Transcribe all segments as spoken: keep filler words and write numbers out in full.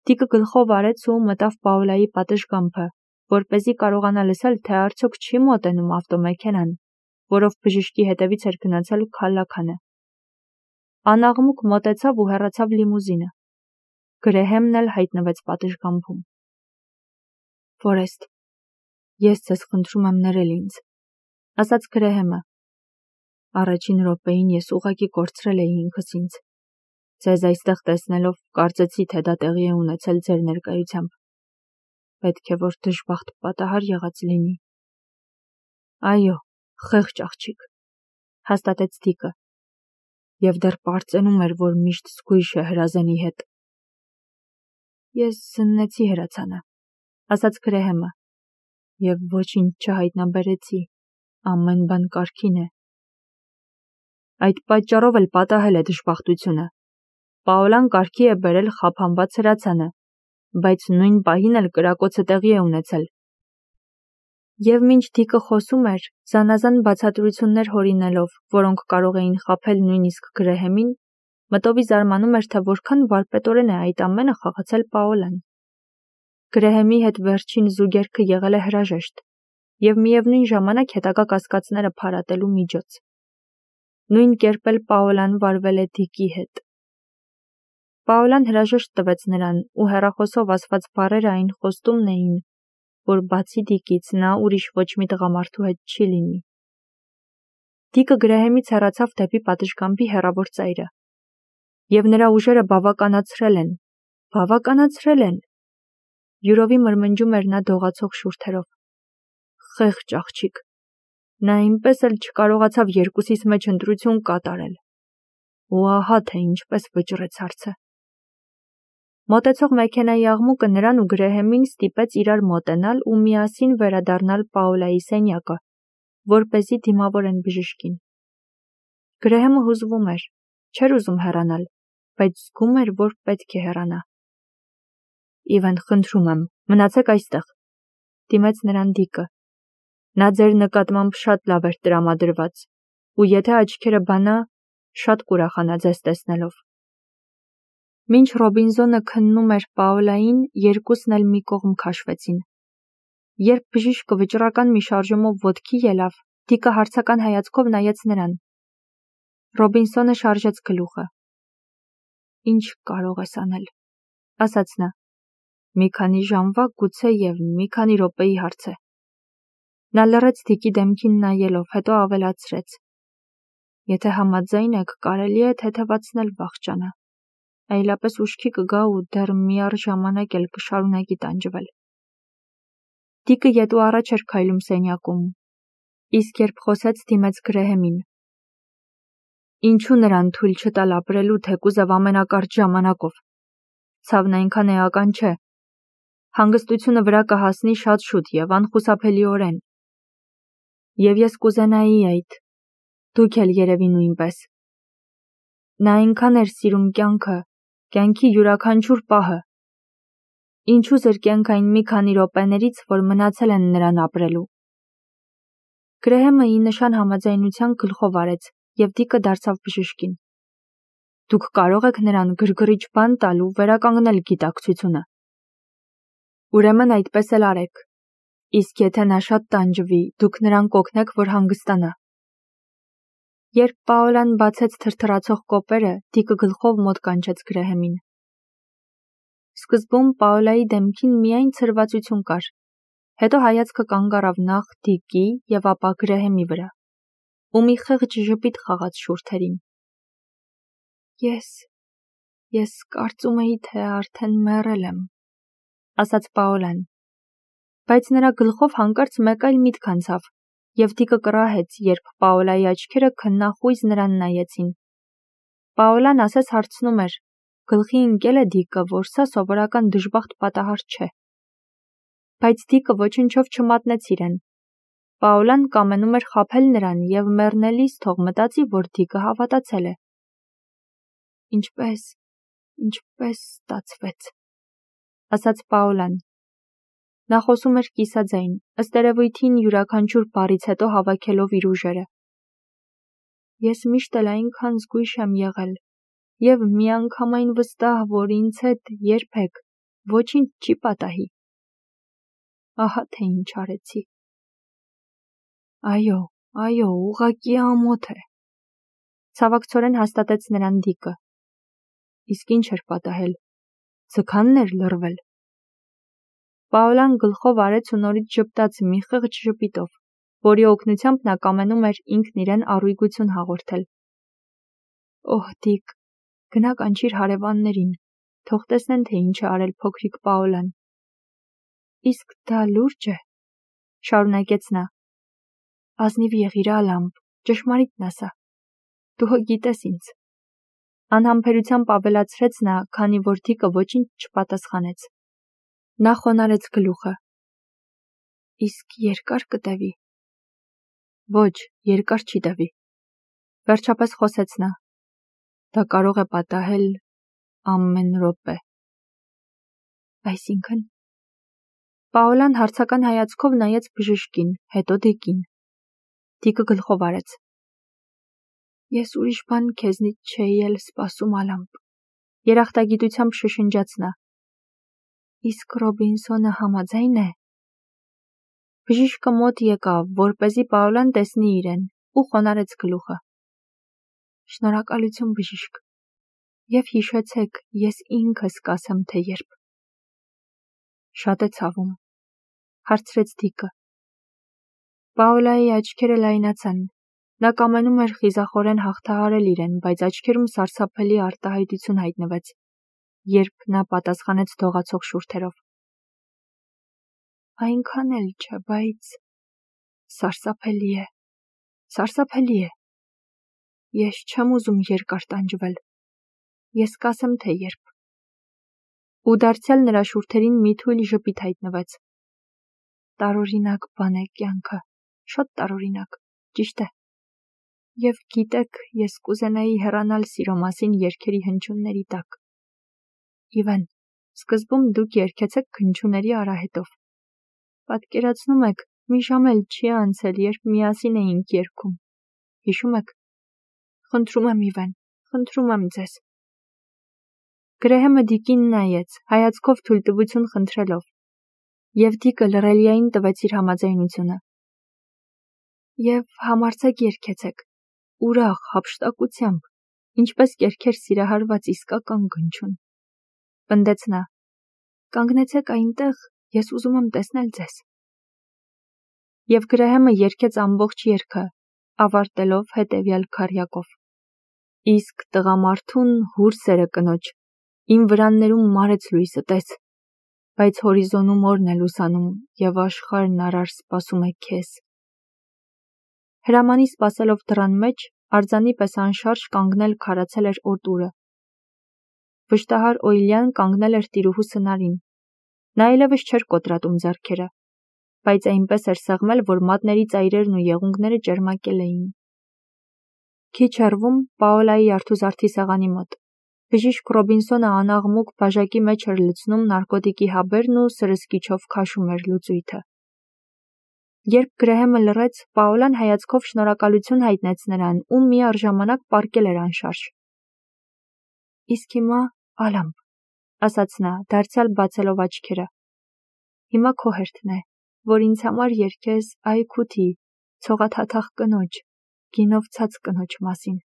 Տիկը գլխով արեց ու մտավ Պաուլայի պատշգամբը, որպեսզի կարողանա լսել, թե արդյոք չի մոտենում ավտոմեքենան, որով բժիշկի հետևից էր գնացել քալլաքանը։ Անաղմուկ մոտեցավ ու հեռացավ լիմուզինը։ Գրեհեմն էլ հայտնվեց պատշգամբում։ Ֆորեստ, ես ձեզ խնդրում եմ ներել ինձ, ասաց Գրեհեմը։ Առաջին րոպեին ես ուղղակի կորցրել էի ինքս ինձ։ Ձեզ այստեղ տեսնելով կարծեցի, թե դա տեղի է ունեցել ձեր ներկայությամբ։ Պետք է որ դժբախտ պատահար եղած լինի։ Այո, խեղճ աղջիկ, հաստատեց Դիկը։ Եվ դեռ պարծենում էր, որ միշտ զգույշ է հրազենի հետ։ Ես զննեցի հրացանը, ասաց Գրեհեմը, և ոչինչ չհայտնաբերեցի, ամեն բան կարգին է։ Այդ պատճառով էլ պատահել է դժբախտությունը։ Պաուլան կարգի է բերել խափանված հրացանը, բայց նույն պահին էլ կրակոցը տեղի է ունեցել։ Եվ մինչ Դիկը խոսում էր, զանազան բացատրություններ հորինելով, որոնք կարող էին խաբել նույնիսկ Գրեհեմին, մտովի զարմանում էր, թե որքան վարպետորեն է այդ ամենը խաղացել Պաուլան։ Գրեհեմի հետ վերջին զուգերգը եղել է հրաժեշտ և միևնույն ժամանակ հետագա կասկածները փարատելու միջոց։ Նույն կերպ էլ Պաուլան վարվել է Դիկի հետ։ Պաուլան հրաժեշտ տվեց նրան ու հեռախոսով ասված բառերը այն խոստումն էին, որ բացի Դիկից նա ուրիշ ոչ մի տղամարդու հետ չի լինի։ Դիկը Գրեհեմից հեռացավ դեպի պատշգամբի հեռավոր ծայրը։ Եվ նրա ուժերը բավականացրել են, բավականացրել են։ Յուրովի մրմնջում էր նա դողացող շուրթերով։ Խեղճ աղջիկ։ Նա այնպես էլ չկարողացավ երկուսիս մեջ ընտրություն կատարել։ Ու ահա թե ինչպես վճռեց հարցը։ Մոտեցող մեքենայի աղմուկը նրան ու Գրեհեմին ստիպեց իրար մոտենալ ու միասին վերադառնալ Պաուլայի սենյակը, որպեսզի դիմավորեն բժշկին։ Գրեհեմը հուզվում էր, չէր ուզում հեռանալ, բայց զգում էր, որ պետք է հեռանա։ Իվեն, խնդրում եմ, մնացեք այստեղ, դիմեց նրան Դիկը։ Նա ձեր նկատմամբ շատ լավ էր տրամադրված, ու եթե աչքերը բանա, շատ կուրախանա ձեզ տեսնելով։ Մինչ Ռոբինզոնը քննում էր Պաուլային, երկուսն էլ մի կողմ քաշվեցին։ Երբ բժիշկը վճռական մի շարժումով ոտքի ելավ, Դիկը հարցական հայացքով նայեց նրան։ Ռոբինսոնը շարժեց գլուխը։ Ինչ կարող ես անել, ասաց նա։ Մի քանի ժամվա, գուցե և մի քանի րոպեի հարց է։ Նա լռեց Դիկի դեմքին նայելով, հետո ավելացրեց. Եթե համաձայն եք, կարելի է թեթևացնել վախճանը, այլապես ուշքի կգա ու դեռ միառժամանակ էլ կշարունակի տանջվել։ Դիկը ետ ու առաջ էր քայլում սենյակում, իսկ երբ խոսեց, դիմեց Գրեհեմին. Ինչու նրան թույլ չտալ ապրելու թեկուզև ամենակարճ ժամանակով։ Ցավն այնքան էական չէ։ Հանգստությունը վրա կհասնի շատ շուտ և անխուսափելիորեն։ Եվ ես կուզենայի այդ, դուք էլ երևի նույնպես։ Նա այնքան էր սիրում կյանքը, կյանքի յուրաքանչյուր պահը։ Ինչու զրկենք այն մի քանի րոպեներից, որ մնացել են նրան ապրելու։ Գրեհեմը ի նշան համաձայնության գլխով արեց, և Դիկը դարձավ բժշկին։ Դուք կարող եք նրան գրգռիչ բան տալ ու վերականգնել գիտակցությունը։ Ուրեմն այդպես էլ արեք։ Իսկ եթե նա շատ տանջվի, դուք նրան կօգնեք, որ հանգստանա։ Երբ Պաուլան բացեց թրթռացող կոպերը, Դիկը գլխով մոտ կանչեց Գրեհեմին։ Սկզբում Պաուլայի դեմքին միայն ցրվածություն կար, հետո հայացքը կանգ առավ նախ Դիկի և ապա Գրեհեմի վրա, ու մի խեղճ ժպիտ խաղաց շուրթերին։ Ես, ես կարծում էի, թե արդեն մեռել եմ, ասաց Պաուլան, բայց նրա գլխով հանկարծ մեկ այլ միտք անցավ, և Դիկը կռահեց, երբ Պաուլայի աչքերը քննախույզ նրան նայեցին։ Պաուլան ասես հարցնում էր, գլխի ընկել է Դիկը, որ սա սովորական դժբախտ պատահար չէ։ Բայց Դիկը ոչնչով չմատնեց իրեն։ Պաուլան կամենում էր խաբել նրան և մեռնելիս թող մտածի, որ Դիկը հավատացել է։ Ինչպես, ինչպես ստացվեց, ասաց Պաուլան։ Նա խոսում էր կիսաձայն, ըստ երևույթին յուրաքանչյուր բառից հետո հավաքելով իր ուժերը։ Ես միշտ էլ այնքան զգույշ եմ եղել, և միանգամայն վստահ, որ ինձ հետ երբեք, ոչինչ չի պատահի։ Ահա թե ինչ արեցի։ Այո, այո, ուղղակի ամոթ է, ցավակցորեն հաստատեց նրան Դիկը։ Իսկ ինչ էր պատահել, ձգանն էր լռվել։ Պաոլան գլխով արեց ու նորից ժպտաց մի խեղճ ժպիտով, որի օգնությամբ նա կամենում էր ինքն իրեն առույգություն հաղորդել։ Օհ, Դիկ, գնա կանչիր հարևաններին, թող տեսնեն, թե ինչ է արել փոքրիկ Պաոլան։ Իսկ դա լուրջ է, շարունակեց նա։ Ազնիվ եղիր, Ալամբ, ճշմարիտն ասա։ Դու հո գիտես ինձ։ Անհամբերությամբ ավելացրեց նա, քանի որ Դիկը ոչինչ չպատասխանեց։ Նա խոնարհեց գլուխը։ Իսկ երկար կտևի։ Ոչ, երկար չի տևի։ Վերջապես խոսեց նա։ Դա կարող է պատահել ամեն րոպե։ Այսինքն։ Պաոլան հարցական հայացքով նայեց բժշկին, հետո Դիկին։ Դիկը գլխով արեց։ Ես ուրիշ բան քեզնից չէի էլ սպասում, Ալամբ, երախտագիտությամբ շշնջաց նա։ Իսկ Ռոբինսոնը համաձայն է։ Բժիշկը մոտ եկավ, որպեսզի Պաոլան տեսնի իրեն, ու խոնարհեց գլուխը։ Շնորհակալություն, բժիշկ։ Եվ հիշեցեք, ես ինքս կասեմ, թե երբ։ Շատ է ցավում, հարցրեց Դիկը։ Պաոլայի աչքերը լայնացան։ Նա կամենում էր խիզախորեն հաղթահարել իրեն, բայց աչքերում սարսափելի արտահայտություն հայտնվեց, երբ նա պատասխանեց դողացող շուրթերով։ Այնքան էլ չէ, բայց սարսափելի է, սարսափելի է։ Ես չեմ ուզում երկար տանջվել։ Ես կասեմ, թե երբ։ Ու դարձյալ նրա շուրթերին մի թույլ ժպիտ հայտնվեց։ Տարօրինակ բան է կյանքը, շատ տարօրինակ, ճիշտ է։ Եվ գիտեք, ես կուզենայի հեռանալ սիրո մասին երգերի հնչյունների տակ։ Իվեն, սկզբում դուք երգեցեք հնչյունների արահետով։ Պատկերացնում եք, մի ժամ էլ չի անցել, երբ միասին էինք երգում։ Հիշում եք։ Խնդրում եմ, Իվեն, խնդրում եմ ձեզ։ Գրեհեմը Դիկին նայեց, հայացքով թույլտվություն խնդրելով, և Դիկը լռելիային տվեց իր համաձայնությունը։ Եվ համարձակ երգեցեք, ուրախ, հափշտակությամբ, ինչպես երգեր սիրահարված իսկական գնչուն։ Պնդեց նա։ Կանգնեցեք այնտեղ, ես ուզում եմ տեսնել ձեզ։ Եվ Գրեհեմը երգեց ամբողջ երգը, ավարտելով հետևյալ քառյակով. Իսկ տղամարդուն հուր սերը կնոջ, իմ վրաններում մարեց լույսը տես, բայց հորիզոնում օրն է լուսանում, և աշխարհն արար սպասում է քեզ։ Հրամանի սպասելով դռան մեջ, արձանի պես անշարժ կանգնել քարացել էր օտուրը։ Վշտահար Օյլյան կանգնել էր տիրուհու սնարին։ Նա այլևս չէր կոտրատում ձեռքերը, բայց այնպես էր սեղմել, որ մատների ծայրերն ու եղունգները ճերմակել էին։ Քիչ հեռվում Պաոլայի արթուզարդի սեղանի մոտ բժիշկ Ռոբինսոնը անաղմուկ բաժակի մեջ էր լցնում նարկոտիկի հաբերն ու սրսկիչով քաշում էր լուծույթը։ Երբ Գրեհեմը լռեց, Պաոլան հայացքով շնորհակալություն հայտնեց նրան ու միառժամանակ պառկել էր անշարժ։ Իսկ հիմա, Ալամբ, ասաց նա, դարձյալ բացելով աչքերը։ Հիմա քո հերթն է, որ ինձ համար երգես Այքութի, ցողաթաթախ կնոջ, գինով ցած կնոջ մասին։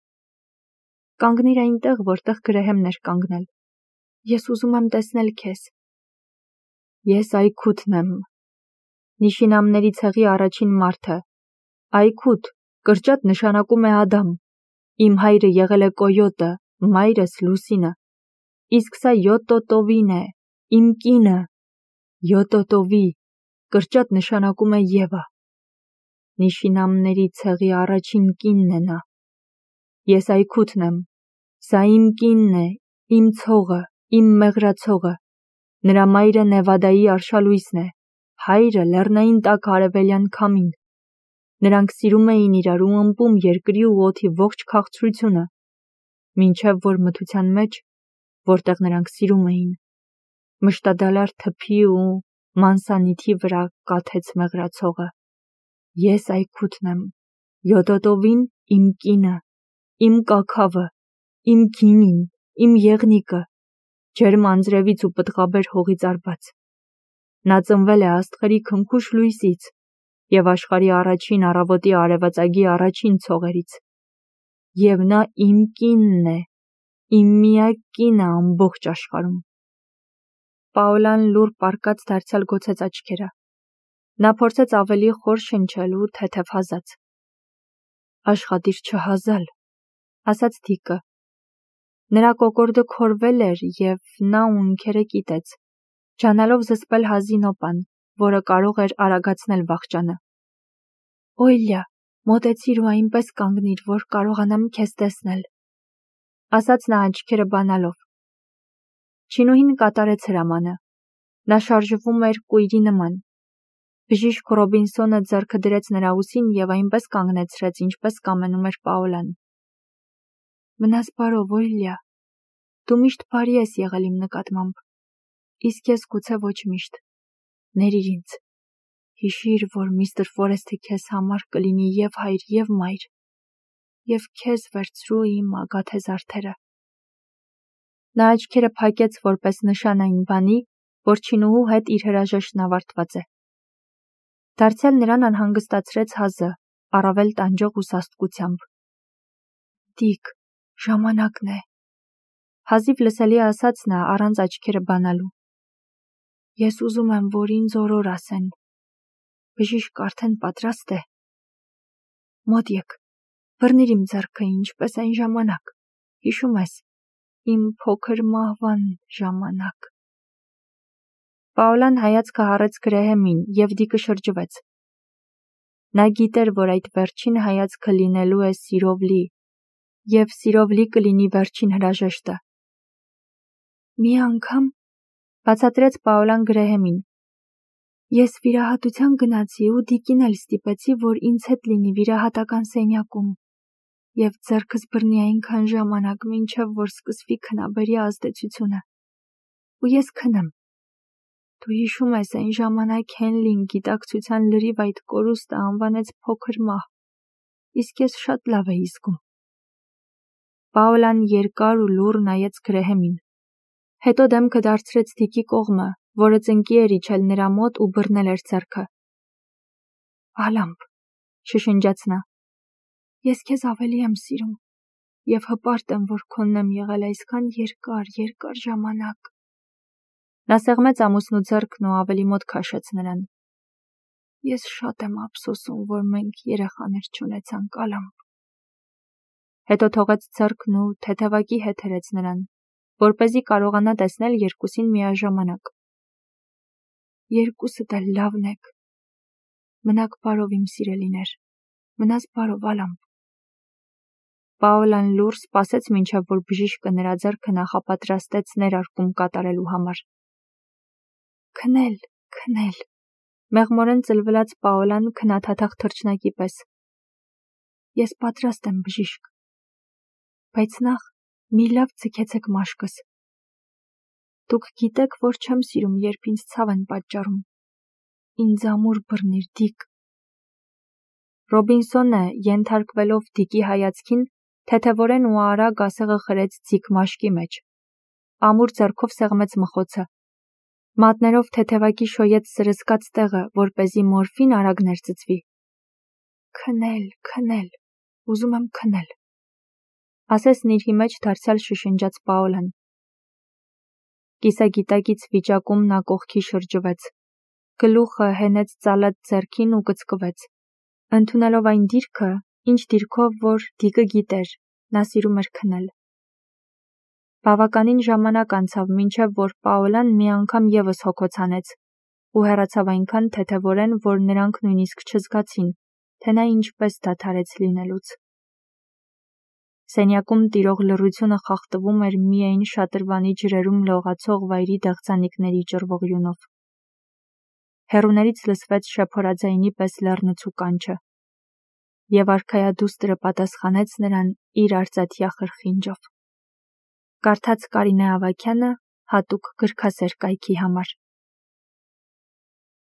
Կանգնիր այնտեղ, որտեղ Գրեհեմն էր կանգնել։ Ես ուզում եմ տեսնել քեզ։ Ես Այքութն եմ, Նիշինամների ցեղի առաջին մարդը։ Այքութ, կրճատ նշանակում է Ադամ։ Իմ հայրը եղել է Կոյոտը, մայրս Լուսինը։ Իսկ սա Յոտոտովին է, իմ կինը։ Յոտոտովի, կրճատ նշանակում է Եվա։ Նիշինամների ցեղի առաջին կինն է նա։ Ես Այքութն եմ, սա իմ կինն է, իմ ցողը, իմ մեղրացողը։ Նրա մայրը Նևադայի արշալույսն է, հայրը լեռնային տաք արևելյան քամին։ Նրանք սիրում էին իրար ու ըմպում երկրի ու օդի ողջ քաղցրությունը, մինչև որ մթության մեջ, որտեղ նրանք սիրում էին, մշտադալար թփի ու մանսանիթի վրա կաթեց մեղրացողը։ Ես Այքութն եմ, Յոտոտովին իմ կինը, իմ կաքավը, իմ գինին, իմ եղնիկը, ջերմ անձրևից ու պտղաբեր հողից արված։ Նա ծնվել է աստղերի քնքուշ լույսից և աշխարհի առաջին առավոտի արևածագի առաջին ցողերից։ Եվ նա իմ կինն է, իմ միակ կինը ամբողջ աշխարհում։ Պաոլան լուռ պառկած դարձյալ գոցեց աչքերը։ Նա փորձեց ավելի խոր շնչել ու թեթևհազաց։ Աշխատիր չհազալ, ասաց Դիկը։ Նրա կոկորդը քորվել էր և նա ունքերը կիտեց, ջանալով զսպել հազի նոպան, որը կարող էր արագացնել վախճանը։ Օյլյա, մոտեցիր ու այնպես կանգնիր, որ կարողանամ քեզ տեսնել, ասաց նա աչքերը բանալով։ Չինուհին կատարեց հրամանը։ Նա շարժվում էր կույրի նման։ Բժիշկ Ռոբինսոնը ձեռքը դրեց նրա ուսին և այնպես կանգնեցրեց, ինչպես կամենում էր Պաոլան։ Մնաս բարով, Օյլյա, դու միշտ բարի ես եղել իմ նկատմամբ, իսկ ես գուցե ոչ միշտ։ Ներիր ինձ։ Հիշիր, որ միստր Ֆորեսթը քեզ համար կլինի և հայր, և մայր, և քեզ վերցրու իմ ագաթե զարդերը։ Նա աչքերը փակեց որպես նշան այն բանի, որ չինուհու հետ իր հրաժեշտն ավարտված է։ Դարձյալ նրան անհանգստացրեց հազը, առավել տանջող ու սաստկությամբ։ Դիկ, ժամանակն է, հազիվ լսելի ասաց նա, առանց աչքերը բանալու։ Ես ուզում եմ, որ ինձ օրոր ասեն։ Բժիշկ արդեն պատրաստ է։ Մոտ եկ, բռնիր իմ ձեռքը, ինչպես այն ժամանակ, հիշում ես, իմ փոքր մահվան ժամանակ։ Պաոլան հայացքը հառեց Գրեհեմին, և Դիկը շրջվեց։ Նա գիտեր, որ այդ վերջին հայացքը լինելու է սիրով լի, և սիրով լի կլինի վերջին հրաժեշտը։ Մի անգամ, բացատրեց Պաոլան Գրեհեմին, ես վիրահատության գնացի ու Դիկին էլ ստիպեցի, որ ինձ հետ լինի վիրահատական սենյակում, և ձեռքս բռնի այնքան ժամանակ, մինչև որ սկսվի քնաբերի ազդեցությունը, ու ես քնեմ։ Դու հիշում ես, այն ժամանակ Հենլին գիտակցության լրիվ այդ կորուստը անվանեց փոքր մահ, իսկ ես շատ լավ էի զգում։ Պաոլան երկար ու լուռ նայեց Գրեհեմին։ Հետո դեմքը դարձրեց Դիկի կողմը, որը ծնկի էր իջել նրա մոտ ու բռնել էր ձեռքը։ Ալամպ, շշնջաց նա, ես քեզ ավելի եմ սիրում, և հպարտ եմ, որ քոնն եմ եղել այսքան երկար, երկար ժամանակ։ Նա սեղմեց ամուսնու ձեռքն ու ավելի մոտ քաշեց նրան։ Ես շատ եմ ափսոսում, որ մենք երեխաներ չունեցանք, Ալամպ։ Հետո թողեց ձեռքն ու թեթևակի հետ հրեց նրան, որպեսզի կարողանա տեսնել երկուսին միաժամանակ։ Երկուսդ էլ լավն եք։ Մնաք բարով, իմ սիրելիներ, մնաս բարով, Ալամպ։ Պաոլան լուռ սպասեց, մինչև որ բժիշկը նրա ձեռքը նախապատրաստեց ներարկում կատարելու համար։ Քնել, քնել, մեղմորեն ծլվլաց Պաոլան քնաթաթախ թռչնակի պես։ Ես պատրաստ եմ, բժիշկ, բայց նախ մի լավ ձգեցեք մաշկս։ Դուք գիտեք, որ չեմ սիրում, երբ ինձ ցավ են պատճառում։ Ինձ ամուր բռնիր, Դիկ։ Ռոբինսոնը, ենթարկվելով Դիկի հայացքին, թեթևորեն ու արագ ասեղը խրեց ձիգ մաշկի մեջ։ Ամուր ձեռքով սեղմեց մխոցը։ Մատներով թեթևակի շոյեց սրսկած տեղը, որպեսզի մորֆին արագ ներծծվի։ Քնել, քնել, ուզում եմ քնել։ Ասեսն իր մեջ դարձյալ շշնջաց Պաոլան։ Կիսագիտակից վիճակում նա կողքի շրջվեց։ Գլուխը հենեց ծալած ձեռքին ու կծկվեց։ Ընդունելով այն դիրքը, ինչ դիրքով որ Դիկը գիտեր, նա սիրում էր քնել։ Բավականին ժամանակ անցավ, մինչև որ Պաոլան մի անգամ ևս հոգոց հանեց ու հեռացավ այնքան թեթևորեն, որ նրանք նույնիսկ չզգացին, թե նա ինչպես դադարեց լինելուց։ Սենյակում տիրող լռությունը խախտվում էր միայն շատրվանի ջրերում լողացող վայրի դեղձանիկների ճռվող յունով։ Հեռուներից լսվեց շեփորաձայնի պես լեռնցու կանչը, և արքայադուստրը պատասխանեց նրան իր արծաթյա խրխինջով։ Կարդաց Կարինե Ավագյանը հատուկ գրքասեր կայքի համար։